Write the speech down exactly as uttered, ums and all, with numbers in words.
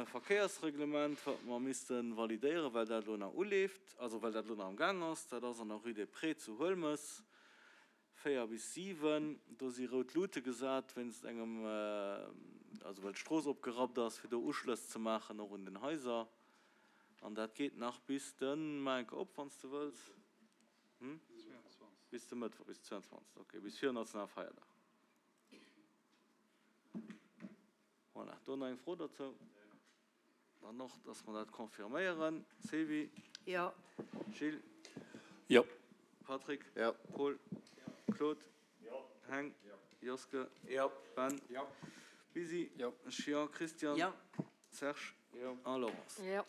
Verkéiersreglement, wat mer misste validéieren, well dat elo nach uleeft, also well dat elo nach am Gaang ass. Dat ass an der Rue des Prés zu Huelmes, véier bis siwen. Do si rout Lute gesat wéinst engem, also well d'Strooss opgerappt ass, fir do Uschlëss ze maachen och un den Haiser. An dat geet nach bis de, maach enke op, wann s de wëlls, bis de Mëttwoch, bis de zweiundzwanzegsten, okay, bis virun Nationalfeierdag. Voilà, do nach eng Fro dozou? Dann och, dass mer dat confirméieren. Sylvie? Jo. Gilles? Jo. Patrick? Jo. Paul? Jo. Claude? Jo. Heng? Jo. Joske? Jo. Ben? Jo. Bisi? Jo. Ech jo. Christian? Jo. Serge? Jo. A Laurence? Jo.